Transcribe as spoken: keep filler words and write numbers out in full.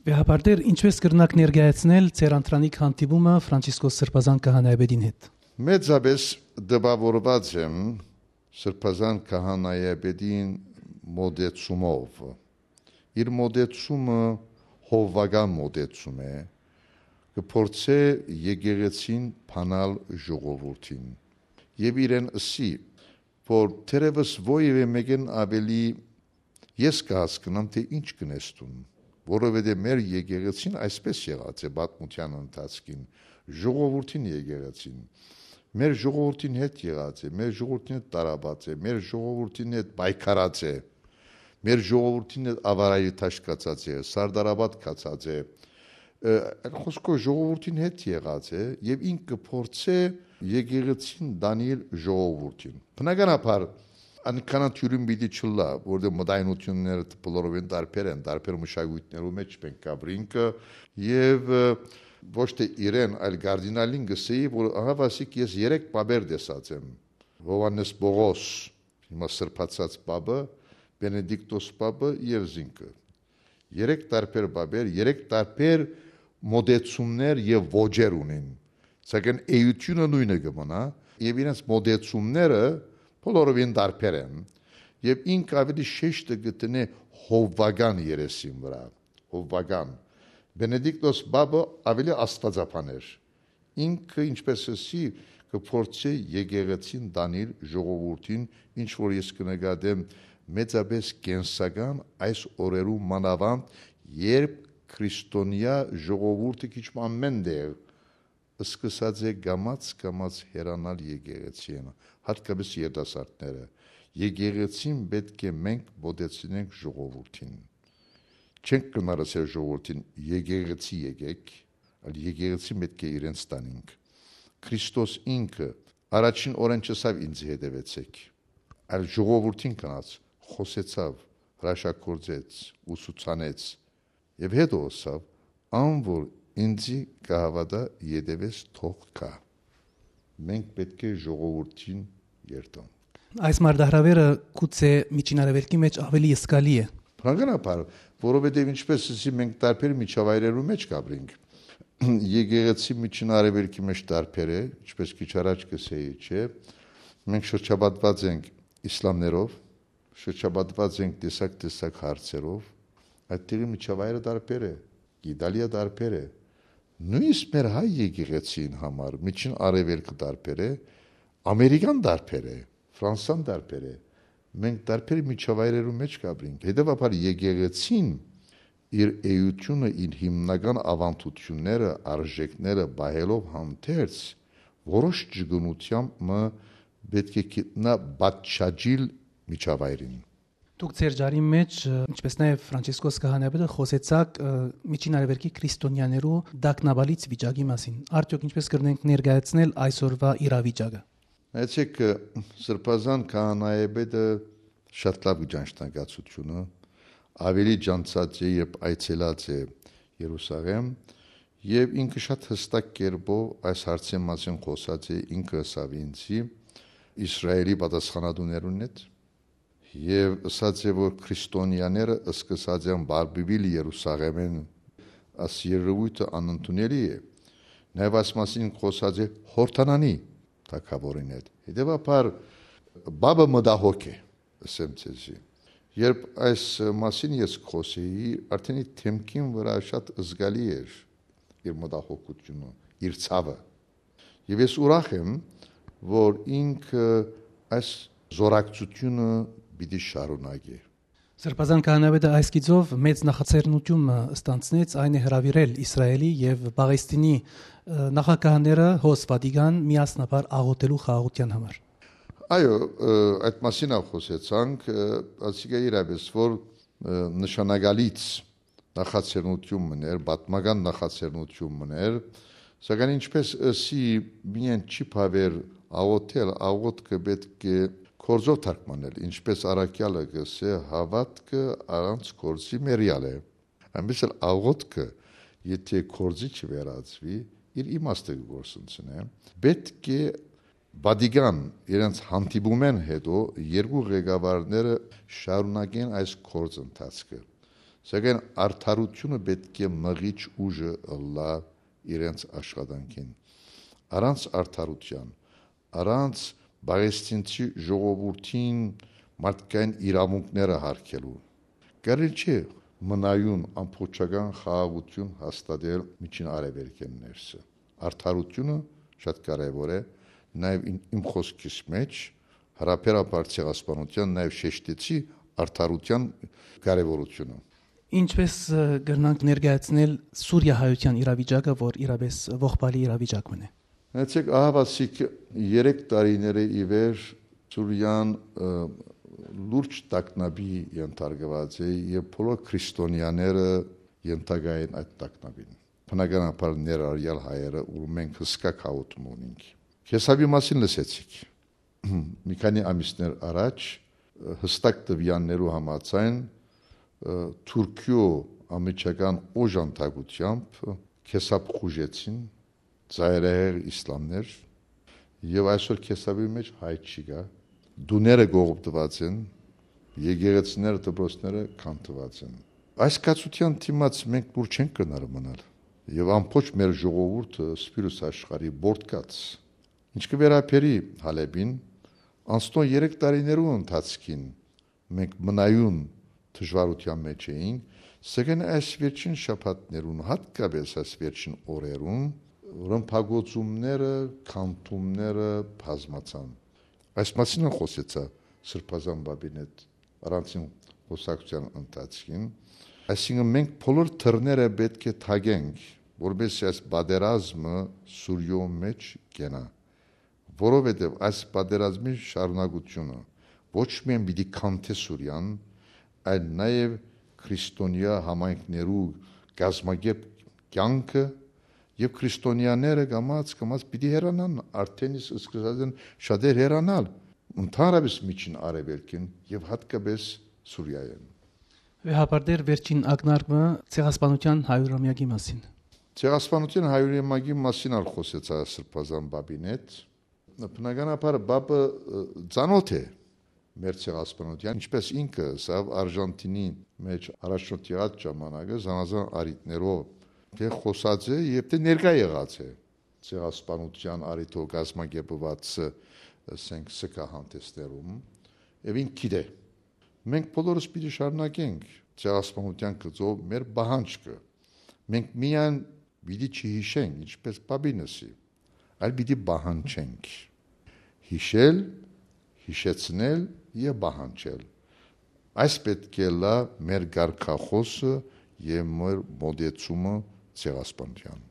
Վեհափառ Տէր, ինչպէս կրնաք ներկայացնել ձեր անդրանիկ հանդիպումը Ֆրանցիսկոս Սրբազան քահանայապետին հետ։ Մեծապէս տպաւորուած եմ Սրբազան քահանայապետին մոտեցումով։ Իր մոտեցումը հովուական մոտեցում է, կը փորձէ եկեղեցին բանալ ժողովուրդին։ Եւ իրեն ըսի, որ թերեւս որեւէ մէկէն աւելի ես կը հասկնամ, թէ ինչ կ'ընես դուն, որովհետեւ մեր եկեղեցին այսպէս եղած է պատմութեան ընթացքին, ժողովուրդին եկեղեցին։ Մեր ժողովուրդին հետ եղած է, մեր ժողովուրդին հետ տարապած է, մեր ժողովուրդին հետ պայքարած է, մեր ժողովուրդին հետ Ավարայի դաշտ գացած է, Սարդարապատ գացած է, ը, այլ խօսքով ժողովուրդին հետ եղած է եւ ինք կը փորձէ եկեղեցին տանիլ ժողովուրդին։ Բնականաբար, անքանա թիւրին պիտի չըլլայ, որտեղ մտայնությունները բոլորովին տարբեր են, տարբեր մշակոյթներու մեջ մենք կապրինք, եւ, ը, ոչ թէ իրեն, այլ կարդինալին կ'ըսէի, որ ահա, ասիկ, ես երեք պապեր տեսած եմ. Յովհաննէս Պողոս, հիմա սրբացած պապը, Բենեդիկտոս պապը եւ զինքը։ Երեք տարբեր պապեր, երեք տարբեր մոտեցումներ եւ ոճեր ունին, սակայն էությունը նոյնը կը մնայ եւ իրենց մոտեցումները բոլորովին տարբեր են, եւ ինք աւելի շեշտը կը դնէ հովուական երեսին վրայ, հովուական։ Բենեդիկտոս պապը աւելի աստուածաբան էր։ Ինքը, ինչպէս ըսի, կը փորձէ եկեղեցին տանիլ ժողովուրդին, ինչ որ ես կը նկատեմ մեծապէս կենսական այս օրերու մանաւանդ, երբ քրիստոնեայ ժողովուրդը քիչ մը ամէն տեղ սկսած է կամաց-կամաց հեռանալ եկեղեցիէն, յատկապէս երիտասարդները։ Եկեղեցին պէտք է մենք մոտեցնենք ժողովուրդին։ Չենք կրնար ըսել ժողովուրդին, «Եկեղեցի եկէք», այլ եկեղեցին պէտք է իրենց տանինք։ Քրիստոս ինքը առաջին օրէն չըսաւ, «Ինձի հետեւեցէք», այլ ժողովուրդին գնաց, խօսեցաւ, հրաշագործեց, ուսուցանեց եւ հետո ըսաւ, «Ան որ ինձի կը հաւատայ, ետեւէս թող գայ»։ Մենք պէտք է ժողովուրդին երթանք։ Այս մարտահրաւերը գուցե Միջին Արեւելքի մեջ աւելի զգալի է։ Բնականաբար, որովհետեւ, ինչպէս ըսի, մենք տարբեր միջավայրերու մեջ կ'ապրինք։ Եկեղեցի Միջին Արեւելքի մեջ տարբեր է, ինչպէս քիչ առաջ կ'ըսէի, չէ՞։ Մենք շրջապատուած ենք իսլամներով, շրջապատուած ենք տեսակ-տեսակ հարցերով, այդտեղի միջավայրը տարբեր է, Իտալիա տարբեր է։ Նոյնիսկ մեր հայ եկեղեցին համար Միջին Արեւելքը տարբեր է, Ամերիկան տարբեր է, Ֆրանսան տարբեր է։ Մենք տարբեր միջավայրերու մեջ կ'ապրինք։ Հետեւաբար եկեղեցին իր էությունը, իր հիմնական աւանդութիւնները, արժեքները պահելով հանդերձ, որոշ ճկունութեամբ մը պէտք է գտնայ պատշաճիլ միջավայրին։ Դուք ձեր ճառին մեջ, ը, ինչպէս նաեւ Ֆրանցիսկոս քահանայապետը, խօսեցաք, ը, Միջին Արեւելքի քրիստոնեաներու տագնապալից վիճակի մասին։ Արդեօք ինչպէս կրնենք ներկայացնել այսօրվա իրավիճակը։ Նայեցեք, ը, Սրբազան քահանայապետը շատ լաւ կը ճանչնայ կացութիւնը, աւելի ճանչցած է, երբ այցելած է Երուսաղեմ, եւ ինքը շատ յստակ կերպով այս հարցին մասին խօսած է, ինքը ըսաւ ինձի, Իսրայէլի պատասխանատուներուն հետ, եւ ըսած է, որ քրիստոնեաները սկսած են բարբուիլ Երուսաղէմէն, այս երեւոյթը անընդունելի է։ Նաեւ այս մասին խօսած է Յորդանանի թագաւորին հետ։ Հետեւաբար, պապը մտահոգ է, ըսեմ ձեզի։ Երբ այս մասին ես կխօսեի, արդեն իր դէմքին վրայ շատ զգալի էր իր մտահոգութիւնը, իր ցաւը։ Եւ ես ուրախ եմ, որ ինքը այս զօրակցութիւնը պիտի շարունակի։ Սրբազան քահանայապետը այս գիծով մեծ նախաձեռնութիւն մը ստանձնեց, այն է հրաւիրել Իսրայէլի եւ Պաղեստինի, ը, նախագահները հոս Վատիկան միասնաբար աղօթելու խաղաղութեան համար։ Այո, ը, այդ մասին ալ խօսեցանք, ը, ասիկա իրապէս որ, ը, նշանակալից նախաձեռնութիւն մըն էր, պատմական նախաձեռնութիւն մըն էր, սակայն ինչպէս ըսի, միայն չի բաւեր աղօթել, աղօթքը պէտք է գործով թարգմանել, ինչպէս առաքեալը կ'ըսէ, «Հաւատքը առանց գործի մեռեալ է»։ Այնպէս ալ աղօթքը, եթէ գործի չվերածուի, իր իմաստը կը գործընծնէ։ Պէտք է Վատիկան իրենց հանդիպումէն հետո երկու ղեկավարները շարունակեն այս գործընթացքը։ Սակայն արդարութիւնը պէտք է մղիչ ուժը ըլլայ իրենց աշխատանքին։ Առանց արդարութեան, առանց պաղեստինցի ժողովուրդին մարդկային իրաւունքները յարգելու, կարելի չէ մնայուն ամբողջական խաղաղութիւն հաստատել Միջին Արեւելքէն ներսը։ Արդարութիւնը շատ կարեւոր է, նաեւ իմ, իմ խօսքիս մէջ, յարաբերաբար ցեղասպանութեան, նաեւ շեշտեցի արդարութեան կարեւորութիւնը։ Ինչպէս, ը, կրնանք ներկայացնել Սուրիա հայութեան իրավիճակը, որ իրապէս ողբալի իրավիճակ մնայ։ Նայեցեք, ահա ասիկ երեք տարիները ի վեր Սուրիան, ը, լուրջ տագնապի ենթարկուած է եւ բոլոր քրիստոնեաները ենթակայ են այդ տագնապին։ Բնականաբար ներառյալ հայերը, որ մենք հսկայ գաղութում ունենք։ Քեսապի մասին լսեցիք։ Մի քանի ամիսներ առաջ, ը, հստակ տվեաններու համաձայն, ը, Թուրքիոյ անմիջական օժանդակութեամբ, ը, Քեսապ խուժեցին, ծայրահեղ իսլամներ, եւ այսօր Քեսապի մէջ հայ չի գա, տուները կողոպտուած են, եկեղեցիները, դպրոցները քանդուած են։ Այս կացութեան դիմաց մենք լուր չենք կրնար մնալ, եւ ամբողջ մեր ժողովուրդը, սփիւռս աշխարհի պորտկած։ Ինչ կը վերաբերի Հալէպին, անցնող երեք տարիներու ընթացքին մենք մնայուն դժուարութեան մէջ էինք, սակայն այս վերջին շաբաթներուն, յատկապէս այս վերջին օրերուն, ռմբակոծումները, քանդումները բազմացան։ Այս մասին ալ խօսեցայ Սրբազան Պապին հետ առանձին խօսակցութեան ընթացքին։ Այսինքն մենք բոլոր դռները պէտք է թակենք, որպեսզի այս պատերազմը Սուրիոյ մէջ կենայ, որովհետեւ այս պատերազմի շարունակութիւնը ոչ միայն պիտի քանդէ Սուրիան, այլ նաեւ քրիստոնեայ համայնքներու կազմակերպ կեանքը, եւ քրիստոնեաները կամաց-կամաց պիտի հեռանան, արդէն իսկ սկսած են շատեր հեռանալ, ընդհանրապէս Միջին Արեւելքին եւ յատկապէս Սուրիայէն։ Վեհափառ Տէր, վերջին ակնարկը Ցեղասպանութեան հարիւրամեակի մասին։ Ցեղասպանութեան հարիւրամեակի մասին ալ խօսեցայ Սրբազան Պապին հետ։ Բնականաբար Պապը, ը, ծանօթ է մեր ցեղասպանութեան, ինչպէս ինքը ըսաւ, Արժանտինի մէջ առաջնորդ եղած ժամանակը զանազան առիթներով թէ խօսած է եւ թէ ներկայ եղած է ցեղասպանութեան առիթով կազմակերպուած, ը, ասենք, սգահանտեսներուն, եւ ինք գիտէ։ Մենք բոլորս պիտի շարունակենք ցեղասպանութեան գծով մեր պահանջքը։ Մենք միայն պիտի չհիշենք, ինչպէս Պապին ըսի, այլ պիտի պահանջենք։ Յիշել, յիշեցնել եւ պահանջել։ Այս պէտք է ըլլայ մեր կարգախօսը եւ մեր մօտեցումը ցեղասպանութեան։